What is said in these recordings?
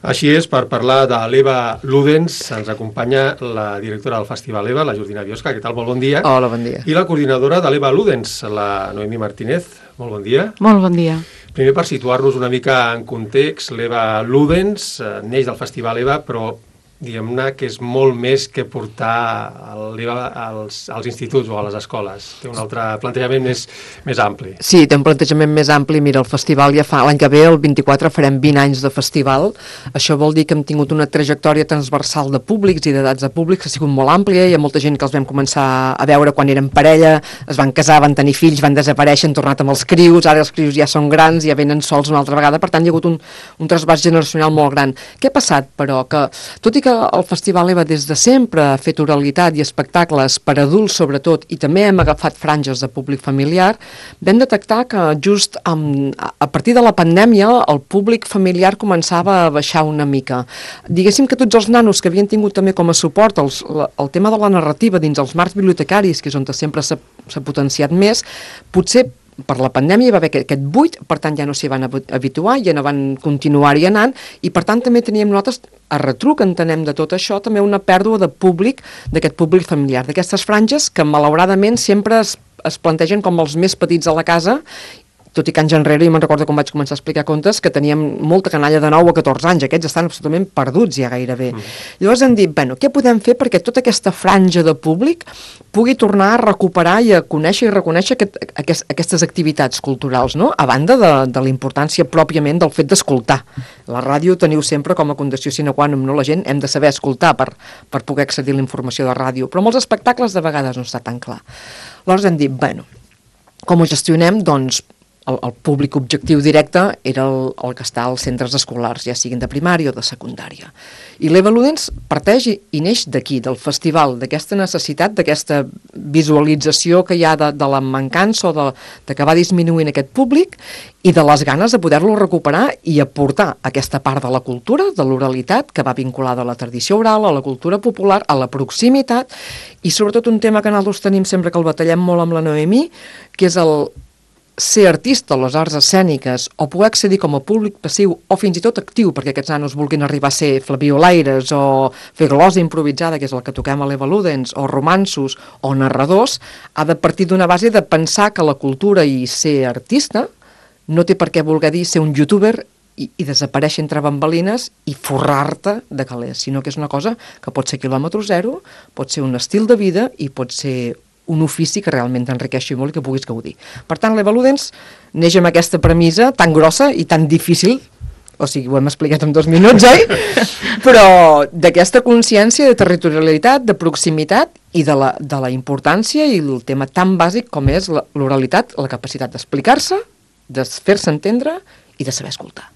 Així és, per parlar de l'Eva Ludens, ens acompanya la directora del Festival EVA, la Jordina Biosca. Què tal? Molt bon dia. Hola, bon dia. I la coordinadora de l'EVA Ludens, la Noemí Martínez. Molt bon dia. Molt bon dia. Primer, per situar-nos una mica en context, l'EVA Ludens neix del Festival EVA, però diguem-ne que és molt més que portar l'EVA als instituts o a les escoles. Té un altre plantejament més ampli. Sí, té un plantejament més ampli. Mira, el festival ja fa... L'any que ve, el 24, farem 20 anys de festival. Això vol dir que hem tingut una trajectòria transversal de públics i d'edats de públics que ha sigut molt àmplia. Hi ha molta gent que els vam començar a veure quan eren parella, es van casar, van tenir fills, van desaparèixer, han tornat amb els crius, ara els crius ja són grans, ja venen sols una altra vegada. Per tant, hi ha hagut un trasbàs generacional molt gran. Què ha passat, però? Que, tot i que el Festival EVA des de sempre ha fet oralitat i espectacles per adults sobretot, i també hem agafat franges de públic familiar, vam detectar que just a partir de la pandèmia el públic familiar començava a baixar una mica. Diguéssim que tots els nanos que havien tingut també com a suport el tema de la narrativa dins els marcs bibliotecaris, que és on sempre s'ha potenciat més, potser per la pandèmia hi va haver aquest buit, per tant ja no s'hi van habituar, ja no van continuar-hi anant, i per tant també teníem nosaltres, a retruc entenem de tot això, també una pèrdua de públic, d'aquest públic familiar, d'aquestes franges que malauradament sempre es plantegen com els més petits a la casa, tot i que anys enrere, jo me'n recordo quan vaig començar a explicar contes, que teníem molta canalla de 9 a 14 anys, aquests estan absolutament perduts ja gairebé. Llavors hem dit, bueno, què podem fer perquè tota aquesta franja de públic pugui tornar a recuperar i a conèixer i reconèixer aquestes activitats culturals, no? A banda de la importància pròpiament del fet d'escoltar. La ràdio teniu sempre com a condició sine qua non, no? La gent hem de saber escoltar per poder accedir a la informació de ràdio, però molts espectacles de vegades no està tan clar. Llavors hem dit, bueno, com ho gestionem? Doncs el públic objectiu directe era el que està als centres escolars, ja siguin de primària o de secundària. I l'EVA Ludens parteix i neix d'aquí, del festival, d'aquesta necessitat, d'aquesta visualització que hi ha de la mancança o de que va disminuint aquest públic i de les ganes de poder-lo recuperar i aportar aquesta part de la cultura, de l'oralitat, que va vinculada a la tradició oral, a la cultura popular, a la proximitat i sobretot un tema que nosaltres tenim sempre que el batallem molt amb la Noemí, que és el ser artista a les arts escèniques o poder accedir com a públic passiu o fins i tot actiu, perquè aquests nanos vulguin arribar a ser flabiolaires o fer glosa improvisada, que és el que toquem a l'EVA Ludens, o romanços o narradors, ha de partir d'una base de pensar que la cultura i ser artista no té per què voler dir ser un youtuber i desaparèixer entre bambalines i forrar-te de calés, sinó que és una cosa que pot ser quilòmetre zero, pot ser un estil de vida i pot ser un ofici que realment t'enriqueixi molt i que puguis gaudir. Per tant, l'EVA Ludens neix amb aquesta premissa tan grossa i tan difícil, o sigui, ho hem explicat en 2 minuts, oi? Però d'aquesta consciència de territorialitat, de proximitat i de la importància i el tema tan bàsic com és l'oralitat, la capacitat d'explicar-se, de fer-se entendre i de saber escoltar.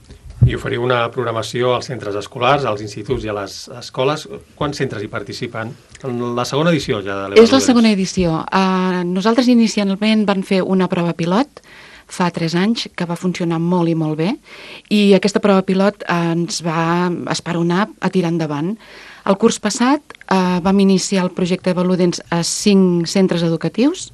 I oferiu una programació als centres escolars, als instituts i a les escoles. Quants centres hi participen? En la segona edició ja de l'EVA Ludens. És la segona edició. Nosaltres inicialment vam fer una prova pilot fa 3 anys, que va funcionar molt i molt bé, i aquesta prova pilot ens va esperonar a tirar endavant. El curs passat vam iniciar el projecte EVA Ludens a 5 centres educatius,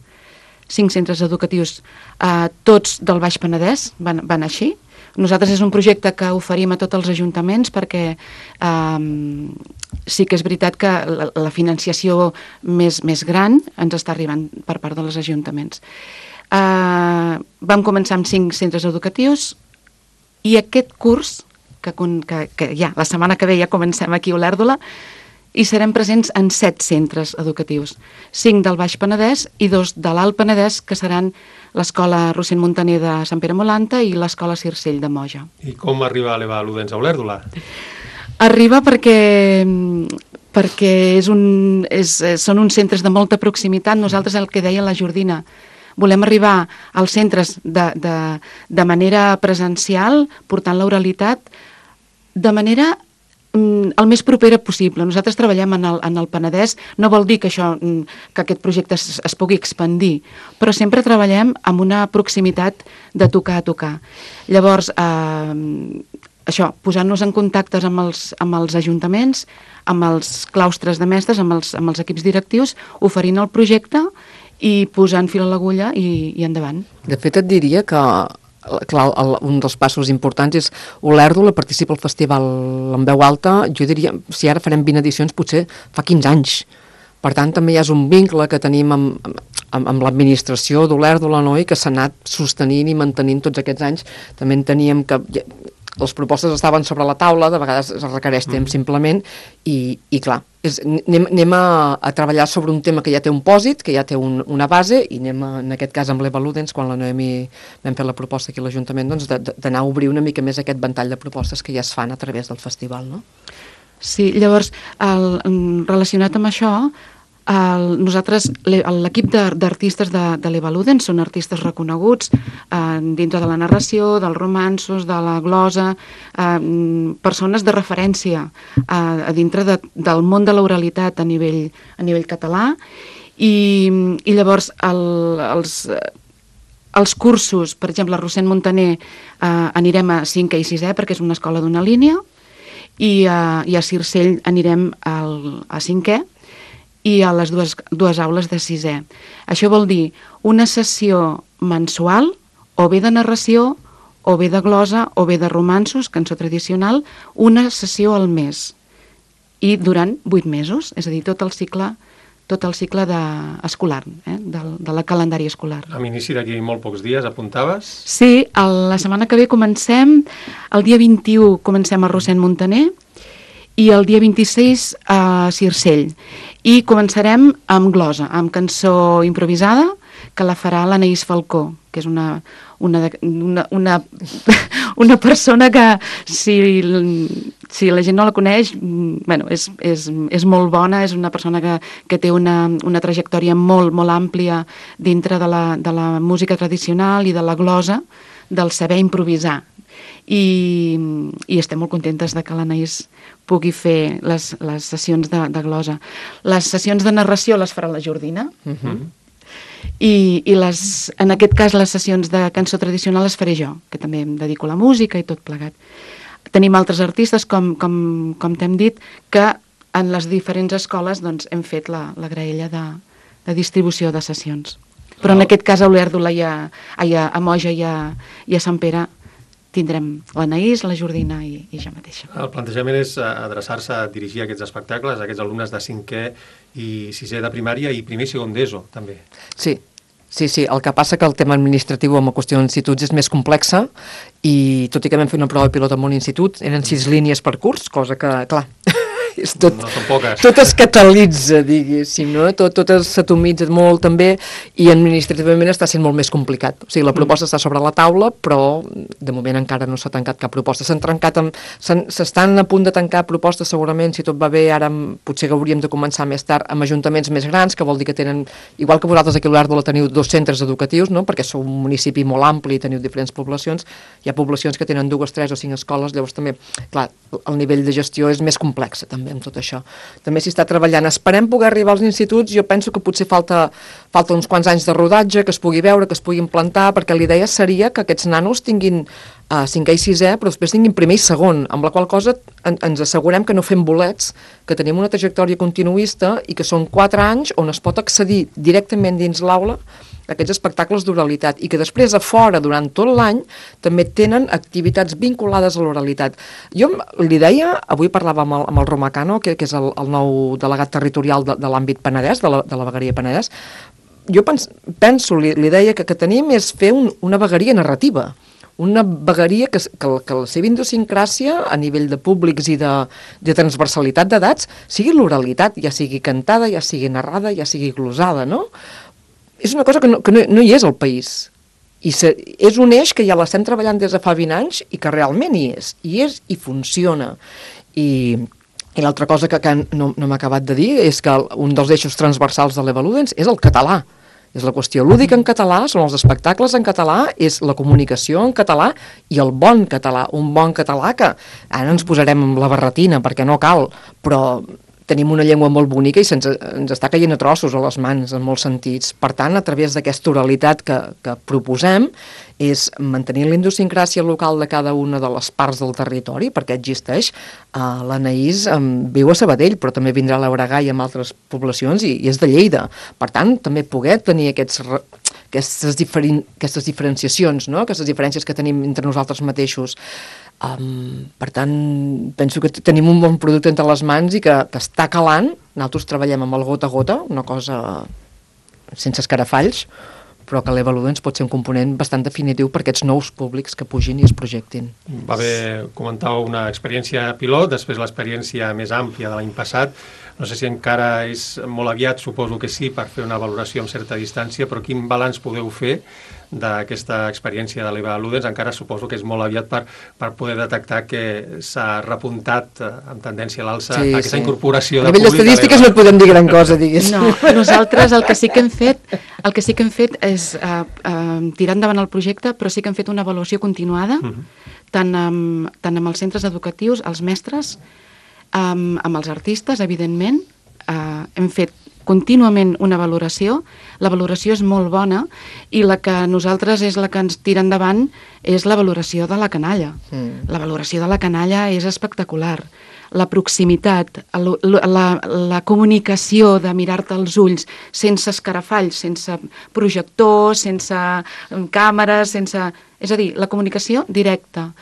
tots del Baix Penedès van així. Nosaltres és un projecte que oferim a tots els ajuntaments perquè sí que és veritat que la financiació més gran ens està arribant per part dels ajuntaments. Vam començar amb 5 centres educatius i aquest curs, que ja la setmana que ve ja comencem aquí a Olèrdola, i serem presents en 7 centres educatius, 5 del Baix Penedès i 2 de l'Alt Penedès, que seran l'Escola Rossend Montaner de Sant Pere Molanta i l'Escola Circell de Moja. I com arriba l'EVA Ludens a Olèrdola? Arriba perquè són uns centres de molta proximitat. Nosaltres, el que deia la Jordina, volem arribar als centres de manera presencial, portant l'oralitat de manera el més propera possible. Nosaltres treballem en el Penedès, no vol dir que aquest projecte es pugui expandir, però sempre treballem amb una proximitat de tocar a tocar. Llavors, això, posant-nos en contactes amb els ajuntaments, amb els claustres de mestres, amb els equips directius, oferint el projecte i posant fil a l'agulla i endavant. De fet, et diria que clar, un dels passos importants és Olèrdola participa al festival en veu alta, jo diria, si ara farem 20 edicions, potser fa 15 anys. Per tant, també hi ha un vincle que tenim amb l'administració d'Olèrdola, no?, i que s'ha anat sostenint i mantenint tots aquests anys. També enteníem que les propostes estaven sobre la taula, de vegades es requereix temps simplement, i clar, anem a treballar sobre un tema que ja té un pòsit, que ja té una base, i anem, en aquest cas amb l'Eva Ludens, quan la Noemi vam fer la proposta aquí a l'Ajuntament, doncs d'anar a obrir una mica més aquest ventall de propostes que ja es fan a través del festival, no? Sí, llavors, relacionat amb això, nosaltres, l'equip d'artistes de l'Eva Ludens són artistes reconeguts dintre de la narració, dels romanços, de la glosa, persones de referència a dintre del món de l'oralitat a nivell català, i llavors els cursos, per exemple, a Rossend Montaner anirem a 5è i 6è perquè és una escola d'una línia, i a Circell anirem a 5è i a les dues aules de 6è. Això vol dir una sessió mensual, o bé de narració, o bé de glosa, o bé de romanços, cançó tradicional, una sessió al mes. I durant 8 mesos, és a dir, tot el cicle escolar, de la calendari escolar. Amb inici d'aquí molt pocs dies, apuntaves? Sí, la setmana que ve comencem, el dia 21 comencem a Rossend Montaner, i el dia 26 a Circell. I començarem amb glosa, amb cançó improvisada, que la farà l'Anaïs Falcó, que és una persona que, si la gent no la coneix, bueno, és molt bona, és una persona que té una trajectòria molt, molt àmplia dintre de la música tradicional i de la glosa, del saber improvisar. I estem molt contentes de que l'Anaïs pugui fer les sessions de glosa. Les sessions de narració les farà la Jordina, i en aquest cas les sessions de cançó tradicional les faré jo, que també em dedico a la música i tot plegat. Tenim altres artistes, com t'hem dit, que en les diferents escoles doncs, hem fet la graella de distribució de sessions. Però en aquest cas a Olèrdola, a Moja i a Sant Pere tindrem l'Anaïs, la Jordina i jo mateixa. El plantejament és adreçar-se a dirigir aquests espectacles a aquests alumnes de 5è i 6è de primària i primer i segon d'ESO, també. Sí, el que passa que el tema administratiu amb la qüestió d'instituts és més complexa, i tot i que vam fer una prova pilot en un institut, eren 6 línies per curs, cosa que, clar, no són poques. Tot es catalitza, diguéssim, no? Tot s'atomitza molt també, i administrativament està sent molt més complicat. O sigui, la proposta està sobre la taula, però de moment encara no s'ha tancat cap proposta. S'estan a punt de tancar propostes, segurament, si tot va bé, ara potser hauríem de començar més tard amb ajuntaments més grans, que vol dir que tenen, igual que vosaltres aquí a Olèrdola teniu 2 centres educatius, no?, perquè sou un municipi molt ampli i teniu diferents poblacions, hi ha poblacions que tenen 2, 3 o 5 escoles, llavors també, clar, el nivell de gestió és més complex també amb tot això. També s'hi està treballant. Esperem poder arribar als instituts. Jo penso que potser falta uns quants anys de rodatge, que es pugui veure, que es pugui implantar, perquè la idea seria que aquests nanos tinguin 5è i 6è, però després tinguin primer i segon, amb la qual cosa ens assegurem que no fem bolets, que tenim una trajectòria continuista i que són 4 anys on es pot accedir directament dins l'aula a aquests espectacles d'oralitat, i que després a fora, durant tot l'any, també tenen activitats vinculades a l'oralitat. Jo li deia, avui parlava amb el Romà Cano, que és el nou delegat territorial de l'àmbit Penedès, de la vegueria Penedès. Jo penso, li deia que tenim és fer una vegueria narrativa, una vegueria que la seva idiosincràsia a nivell de públics i de transversalitat d'edats sigui l'oralitat, ja sigui cantada, ja sigui narrada, ja sigui glosada, no? És una cosa que no hi és al país. I és un eix que ja l'estem treballant des de fa 20 anys i que realment hi és i funciona. I l'altra cosa que no m'ha acabat de dir és que un dels eixos transversals de l'Eva Ludens és el català. És la qüestió lúdica en català, són els espectacles en català, és la comunicació en català i el bon català. Un bon català que ara ens posarem amb la barretina perquè no cal, però tenim una llengua molt bonica i ens està caient a trossos a les mans en molts sentits. Per tant, a través d'aquesta oralitat que proposem és mantenir la idiosincràsia local de cada una de les parts del territori, perquè existeix. L'Anaïs viu a Sabadell, però també vindrà a l'Euregà i en altres poblacions i és de Lleida. Per tant, també poder tenir aquests aquestes diferenciacions, no? Aquestes diferències que tenim entre nosaltres mateixos. Per tant, penso que tenim un bon producte entre les mans i que està calant. Nosaltres treballem amb el gota a gota, una cosa sense escarafalls, però que l'Eva Ludens pot ser un component bastant definitiu per aquests nous públics que pugin i es projectin. Va haver, comentàveu, una experiència pilot, després l'experiència més àmplia de l'any passat. No sé si encara és molt aviat, suposo que sí, per fer una valoració amb certa distància, però quin balanç podeu fer d'aquesta experiència de l'Eva Ludens? Encara suposo que és molt aviat per poder detectar que s'ha repuntat amb tendència a l'alça aquesta incorporació de públic. A nivell d'estadístiques no podem dir gran cosa, diguéssim. No, nosaltres el que sí que hem fet és tirar endavant el projecte, però sí que hem fet una avaluació continuada, tant amb els centres educatius, els mestres, amb els artistes, evidentment. Hem fet contínuament una valoració, la valoració és molt bona i la que nosaltres és la que ens tira endavant és la valoració de la canalla. La valoració de la canalla és espectacular. La proximitat, la comunicació de mirar-te als ulls sense escarafalls, sense projector, sense càmeres, és a dir, la comunicació directa.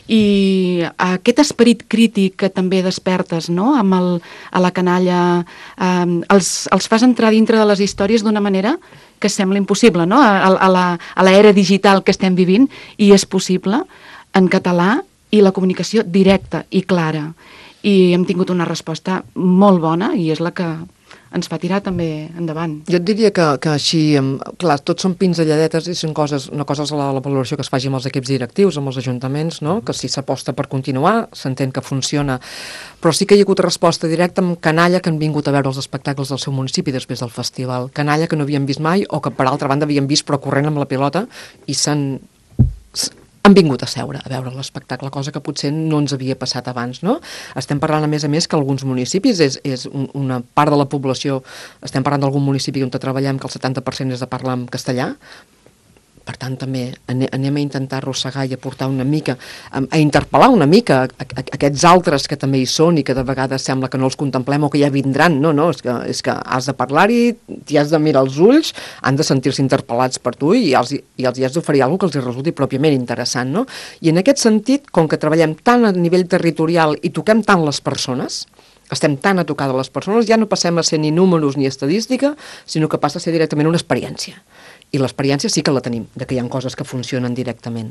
I aquest esperit crític que també despertes, no?, a la canalla, els fas entrar dintre de les històries d'una manera que sembla impossible, no?, a l'era digital que estem vivint, i és possible en català i la comunicació directa i clara. I hem tingut una resposta molt bona i és la que ens fa tirar també endavant. Jo et diria que així, clar, tots són pinzelladetes i són una cosa és la valoració que es faci amb els equips directius, amb els ajuntaments, no?, que si s'aposta per continuar, s'entén que funciona, però sí que hi ha hagut resposta directa amb canalla que han vingut a veure els espectacles del seu municipi després del festival. Canalla que no havien vist mai o que per altra banda havien vist però corrent amb la pilota i han vingut a seure a veure l'espectacle, cosa que potser no ens havia passat abans, no? Estem parlant, a més, que alguns municipis és una part de la població, estem parlant d'algun municipi on treballem que el 70% és de parlar en castellà. Per tant, també anem a intentar arrossegar i aportar una mica, a interpel·lar una mica aquests altres que també hi són i que de vegades sembla que no els contemplem o que ja vindran. No, és que has de parlar-hi, t'hi has de mirar els ulls, han de sentir-se interpel·lats per tu i els hi has d'oferir alguna cosa que els resulti pròpiament interessant, no? I en aquest sentit, com que treballem tant a nivell territorial i toquem tant les persones, estem tan a tocar de les persones, ja no passem a ser ni números ni estadística, sinó que passa a ser directament una experiència. I l'experiència sí que la tenim, de que hi ha coses que funcionen directament.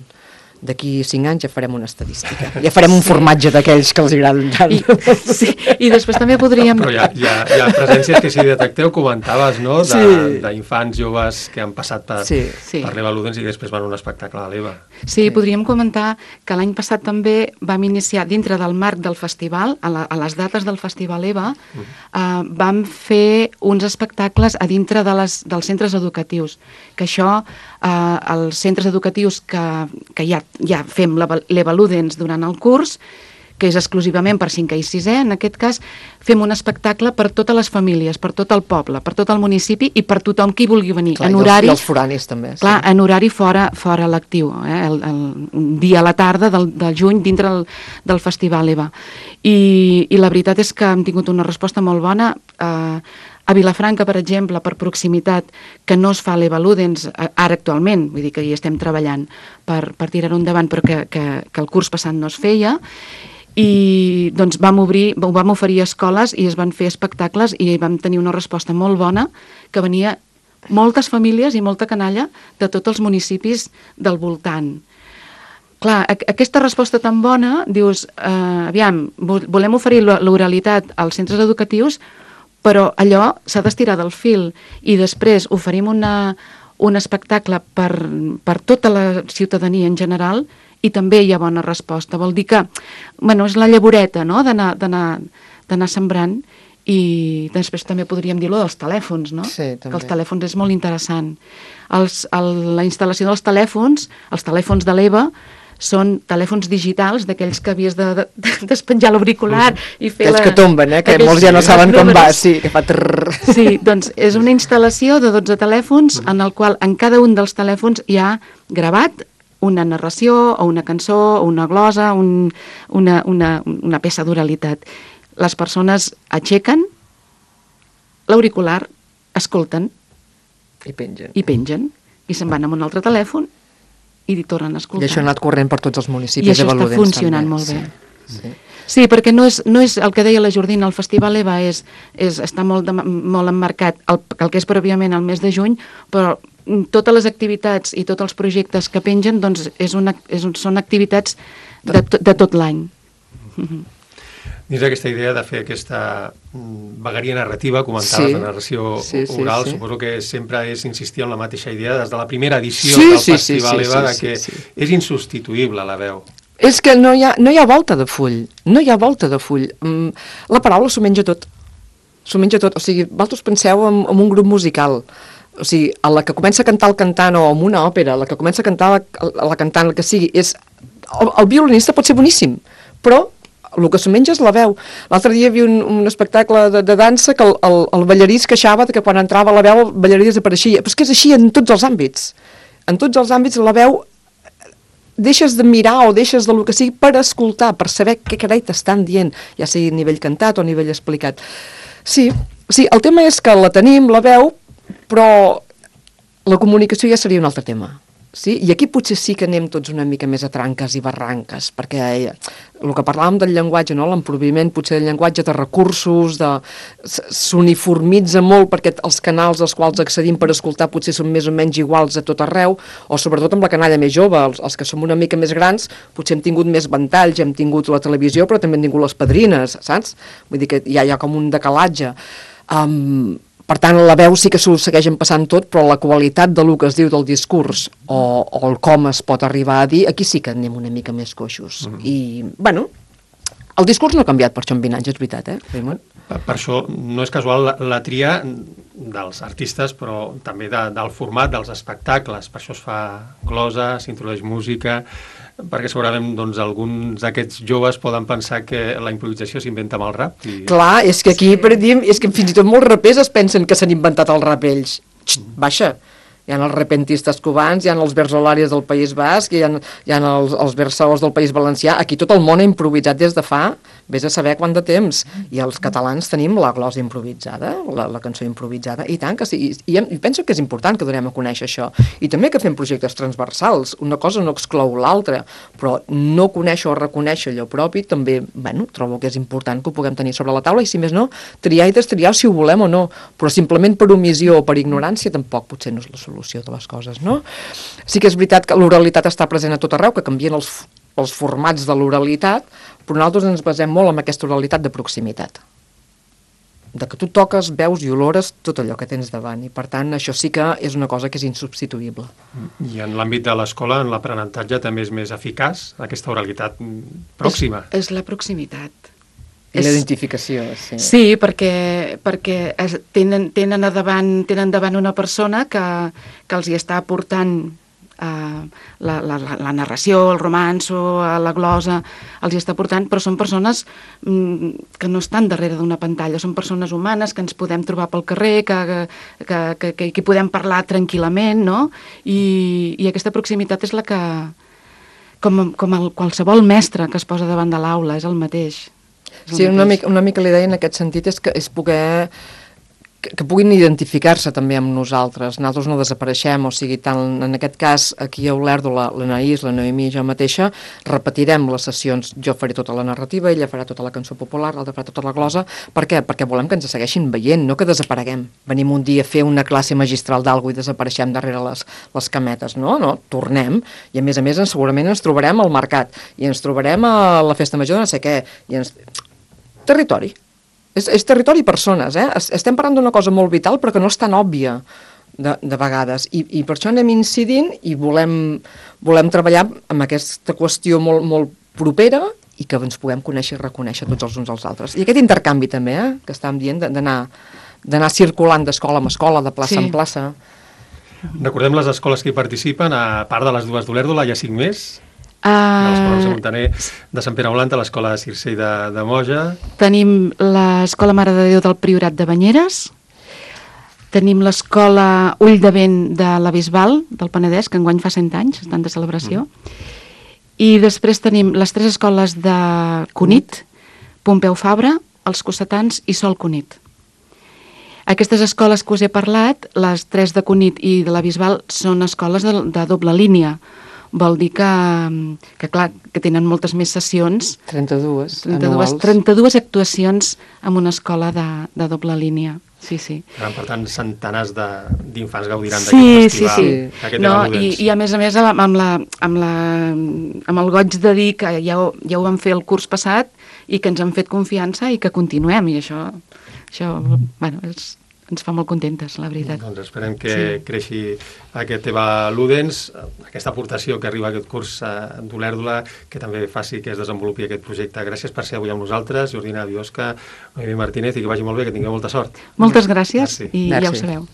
D'aquí 5 anys ja farem una estadística. Ja farem un formatge d'aquells que els agraden tant. I després també podríem... Però hi ha presències que si detecteu, comentaves, no?, d'infants joves que han passat per l'Eva Ludens i després van a un espectacle de l'Eva. Sí, podríem comentar que l'any passat també vam iniciar, dintre del marc del festival, a les dates del Festival EVA, vam fer uns espectacles a dintre dels centres educatius, que això, els centres educatius que ja fem l'EVA Ludens durant el curs, que és exclusivament per 5è i 6è, en aquest cas fem un espectacle per totes les famílies, per tot el poble, per tot el municipi i per tothom qui vulgui venir. Clar, i els foranis també. Clar, en horari fora lectiu, un dia a la tarda del juny dintre del Festival EVA. I la veritat és que hem tingut una resposta molt bona. A Vilafranca, per exemple, per proximitat, que no es fa l'EVA Ludens ara actualment, vull dir que hi estem treballant per tirar-ho endavant, però que el curs passat no es feia, i doncs vam oferir escoles i es van fer espectacles i vam tenir una resposta molt bona, que venia moltes famílies i molta canalla de tots els municipis del voltant. Clar, aquesta resposta tan bona, dius, aviam, volem oferir l'oralitat als centres educatius, però allò s'ha d'estirar del fil i després oferim un espectacle per tota la ciutadania en general i també hi ha bona resposta. Vol dir que, bueno, és la llavoreta, no?, d'anar sembrant, i després també podríem dir-ho dels telèfons, no? Sí, també. Que els telèfons és molt interessant. La instal·lació dels telèfons, els telèfons de l'EVA, són telèfons digitals, d'aquells que havies de despenjar l'auricular i fer aquells que tomben, que molts ja no saben com va, sí, que fa trrr. Sí, doncs és una instal·lació de 12 telèfons en el qual en cada un dels telèfons hi ha gravat una narració o una cançó o una glosa, una peça d'oralitat. Les persones aixequen l'auricular, escolten i pengen. i se'n van amb un altre telèfon i tornen a escoltar. I això ha anat corrent per tots els municipis. I això està funcionant molt bé. Sí, perquè no és el que deia la Jordina, el Festival EVA està molt emmarcat el que és pròpiament el mes de juny, però totes les activitats i tots els projectes que pengen doncs són activitats de tot l'any. Dins d'aquesta idea de fer aquesta vegueria narrativa, comentaves de narració oral, suposo que sempre és insistir en la mateixa idea des de la primera edició del Festival EVA, que és insubstituïble la veu. És que no hi ha volta de full, no hi ha volta de full. La paraula s'ho menja tot, o sigui, vosaltres penseu en un grup musical, o sigui, a la que comença a cantar el cantant, o en una òpera, la que comença a cantar la cantant, el que sigui, el violinista pot ser boníssim, però el que s'ho menja és la veu. L'altre dia hi havia un espectacle de dansa que el ballarí es queixava que quan entrava la veu el ballarí desapareixia, però és que és així en tots els àmbits. En tots els àmbits la veu deixes de mirar o deixes del que sigui per escoltar, per saber què carai t'estan dient, ja sigui a nivell cantat o a nivell explicat. Sí, el tema és que la tenim, la veu, però la comunicació ja seria un altre tema. Sí? I aquí potser sí que anem tots una mica més a tranques i barranques, perquè el que parlàvem del llenguatge, no? L'emproviment potser del llenguatge, de recursos, s'uniformitza molt perquè els canals als quals accedim per escoltar potser són més o menys iguals a tot arreu, o sobretot amb la canalla més jove, els que som una mica més grans, potser hem tingut més ventalls, hem tingut la televisió, però també hem tingut les padrines, saps? Vull dir que hi ha com un decalatge. Per tant, la veu sí que s'ho segueixen passant tot, però la qualitat del que es diu del discurs o el com es pot arribar a dir, aquí sí que anem una mica més coixos. I, bueno, el discurs no ha canviat per això en 20 anys, és veritat, Raimon? Per això no és casual la tria dels artistes, però també del format dels espectacles. Per això es fa glosa, s'introdueix música, perquè segurament doncs, alguns d'aquests joves poden pensar que la improvisació s'inventa amb el rap. Clar, és que aquí és que fins i tot molts rapers es pensen que s'han inventat el rap ells. Baixa, hi ha els repentistes cubans, hi ha els versolaris del País Basc, hi ha els versaors del País Valencià. Aquí tot el món ha improvisat des de fa, vés a saber quant de temps. I els catalans tenim la glosa improvisada, la cançó improvisada, i tant que sí. I penso que és important que donem a conèixer això. I també que fem projectes transversals. Una cosa no exclou l'altra, però no conèixer o reconèixer allò propi també, bueno, trobo que és important que ho puguem tenir sobre la taula i, si més no, triar i destriar si ho volem o no. Però simplement per omissió o per ignorància tampoc potser no és la solució de les coses, no? Sí que és veritat que l'oralitat està present a tot arreu, que canvien els formats de l'oralitat, però nosaltres ens basem molt en aquesta oralitat de proximitat. De que tu toques, veus i olores tot allò que tens davant, i per tant això sí que és una cosa que és insubstituïble. I en l'àmbit de l'escola, en l'aprenentatge també és més eficaç aquesta oralitat pròxima. És la proximitat. I l'identificació, sí. Sí, perquè tenen davant una persona que els hi està aportant la narració, el romanço, la glosa, els hi està portant, però són persones que no estan darrere d'una pantalla, són persones humanes que ens podem trobar pel carrer, que podem parlar tranquil·lament, no? I aquesta proximitat és la que, com qualsevol mestre que es posa davant de l'aula, és el mateix. Sí, una mica l'idea en aquest sentit és poder que puguin identificar-se també amb nosaltres. Nosaltres no desapareixem, o sigui, tant en aquest cas aquí a Olèrdola, l'Anaïs, la Noemí i jo mateixa repetirem les sessions. Jo faré tota la narrativa, ella farà tota la cançó popular, l'altra farà tota la glosa. Per què? Perquè volem que ens segueixin veient, no que desapareguem. Venim un dia a fer una classe magistral d'algú i desapareixem darrere les cametes. No, tornem. I a més segurament ens trobarem al mercat i ens trobarem a la festa major de no sé què. Territori. És territori i persones, Estem parlant d'una cosa molt vital però que no és tan òbvia de vegades i per això anem incidint i volem treballar amb aquesta qüestió molt, molt propera i que ens puguem conèixer i reconèixer tots els uns als altres. I aquest intercanvi també, que estàvem dient, d'anar circulant d'escola en escola, de plaça en plaça. Recordem les escoles que hi participen, a part de les dues d'Olèrdola, hi ha 5 més. De l'Escola de Montaner de Sant Pere Aulanta, l'Escola Circell de Moja. Tenim l'Escola Mare de Déu del Priorat de Banyeres, tenim l'Escola Ull de Vent de la Bisbal del Penedès, que enguany fa 100 anys, estan de celebració, i després tenim les 3 escoles de Cunit, Pompeu Fabra, els Cossetans i Sol Cunit. Aquestes escoles que us he parlat, les 3 de Cunit i de la Bisbal, són escoles de doble línia. Vol dir que clar, que tenen moltes més sessions. 32 actuacions en una escola de doble línia. Sí. Per tant, centenars d'infants gaudiran d'aquest festival. Sí. No, i a més, amb el goig de dir que ja ho vam fer el curs passat i que ens han fet confiança i que continuem, i això bueno, ens fa molt contentes, la veritat. Doncs esperem que creixi aquest Eva Ludens, aquesta aportació que arriba a aquest curs d'Olèrdola, que també faci que es desenvolupi aquest projecte. Gràcies per ser avui amb nosaltres, Jordina Biosca, Noemí Martínez, i que vagi molt bé, que tingueu molta sort. Moltes gràcies. I ja ho sabeu.